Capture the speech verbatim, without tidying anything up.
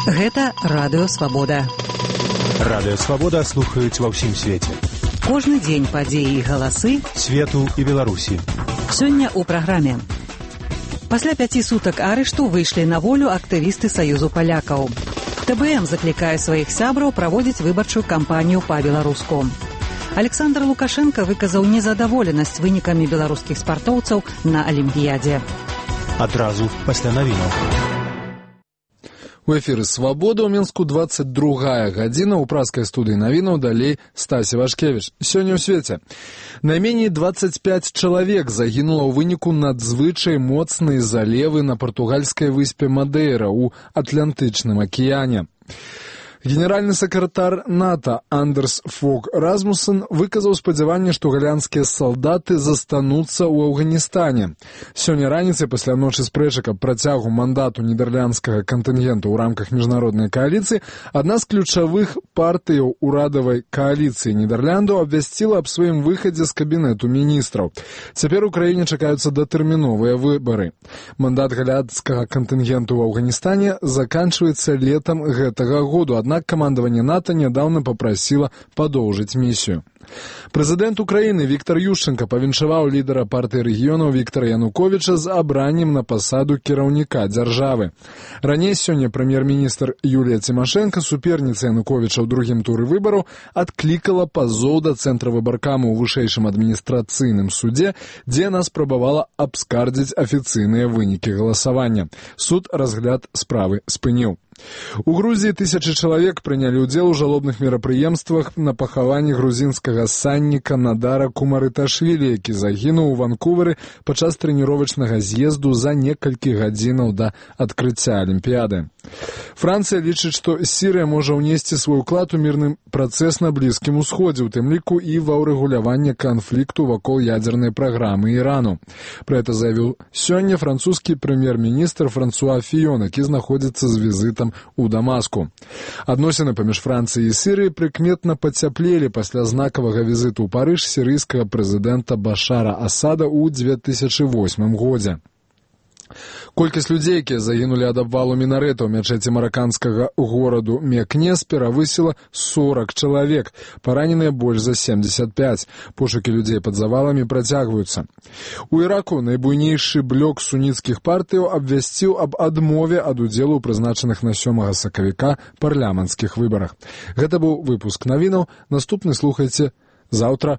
Гэта Радыё Свабода. Радыё Свабода слухаюць ва ўсім свеце. Кожны дзень падзеі і галасы свету і Беларусі. Сёння ў праграме. Пасля пяці сутак арышту выйшлі на волю актывісты Саюзу палякаў. тэ бэ эм заклікае сваіх сябраў праводзіць выбарчую кампанію па-беларуску. Александр Лукашенко выказаў незадаволенасць вынікамі беларускіх спартоўцаў на Алімпіядзе. Адразу пасля навінаў. У эфіры «Свабода» ў Мінску двадцать другая гадзіна. У праскай студыі навінаў далей Стасі Вашкевіч. Сёння ў свеце. Найменей двадцать пять чалавек загінула ў выніку надзвычай моцнай залевы на партугальскай выспе Мадейра ў Атлантычным акіяне. Генеральны сакратар НАТО Андерс Фог Расмуссен выказаў спадзяванне, што галандскія салдаты застануцца ў Афганістане. Сёння раніцай пасля ночы спрэчак аб працягу мандату нідэрландскага кантынгенту ў рамках міжнароднай кааліцыі адна з ключавых партыяў урадавай кааліцыі Нідерландаў абвясціла аб сваім выхадзе з кабінету міністраў. Цяпер у краіне чакаюцца датэрміновыя выбары. Мандат галандскага кантынгенту ў Афганістане заканчваецца летам гэтага году. Аднак камандаванне НАТО нядаўна папрасіла падоўжыць місію. Прэзідэнт Украіны Віктор Ющенка павіншаваў лідара партыі рэгіёнаў Віктора Януковіча з абраннем на пасаду кіраўніка дзяржавы. Раней сёння прэм'ер-міністр Юлія Цімашэнка, суперніца Януковіча ў другім туры выбараў, адклікала пазоў да цэнтра выбаркаму ў вышэйшым адміністрацыйным судзе, дзе яна спрабавала абскардзіць афіцыйныя вынікі галасавання. Суд разгляд справы спыніў. У Грузіі тысячы чалавек прынялі ўдзел у жалобных мерапрыемствах на пахаванні грузінскага санніка Надара Кумарыташвілі, які загінуў у Ванкувары падчас трэніровачнага з'езду за некалькі гадзінаў да адкрыцця Алімпіяды. Францыя лічыць, што Сірыя можа ўнесці свой уклад у мірны працэс на Блізкім Усходзе, у тым ліку і ва ўрэгуляванне канфлікту вакол ядзернай праграмы Ірану. Пра гэта заявіў сёння французскі прэм'ер-міністр Франсуа Фіён, які знаходзіцца з візітам у Дамаску. Адносіны паміж Францыяй і Сірыяй прыкметна пацяплелі пасля знакавага візіту ў Парыж сірыйскага прэзідэнта Башара Асада ў дзве тысячы восьмым годзе. Колькасць людзей, якія загінулі ад абвалу мінарэта ў мячэці мараканскага гораду Мекнес, перавысіла сорак чалавек. Параненыя больш за семьдесят пять. Пошукі людзей пад заваламі працягваюцца. У Іраку найбуйнейшы блок суніцкіх партыяў абвясціў аб адмове ад удзелу ў прызначаных на сёмага сакавіка парламенцкіх выбарах. Гэта быў выпуск навінаў. Наступны слухайце заўтра